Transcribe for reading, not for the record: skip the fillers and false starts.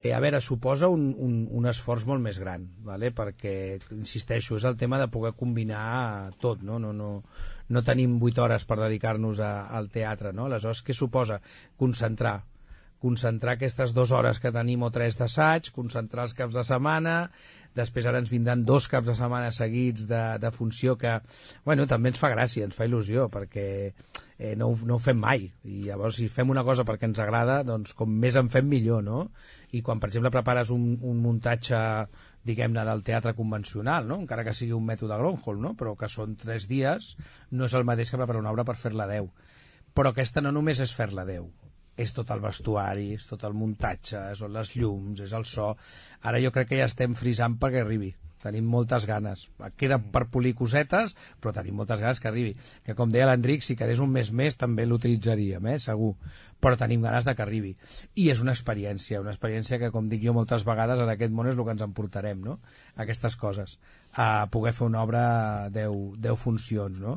A veure, suposa un esforç molt més gran, vale? Perquè, insisteixo, és el tema de poder combinar tot, no? No tenim 8 hores per dedicar-nos al teatre, no? Aleshores, què suposa? Concentrar aquestes 2 hores que tenim o 3 d'assaig, concentrar els caps de setmana, després ara ens vindran 2 caps de setmana seguits de funció que, bueno, també ens fa gràcia, ens fa il·lusió, perquè no ho fem mai, i llavors si fem una cosa perquè ens agrada, doncs com més en fem millor, no? I quan, per exemple, prepares un muntatge, diguem-ne, del teatre convencional, no? Encara que sigui un mètode Gronholm, no? Però que són 3 dies, no és el mateix que preparar una obra per fer-la 10. Però aquesta no només és fer-la 10, és tot el vestuari, és tot el muntatge, són les llums, és el so. Ara jo crec que ja estem frisant perquè arribi. Tenim moltes ganes. Queda per polir cosetes, però tenim moltes ganes que arribi. Que, com deia l'Enric, si quedés un mes més també l'utilitzaríem, segur. Però tenim ganes de que arribi. I és una experiència que, com dic jo moltes vegades, en aquest món és el que ens emportarem, no? Aquestes coses. A poder fer una obra 10 funcions, no?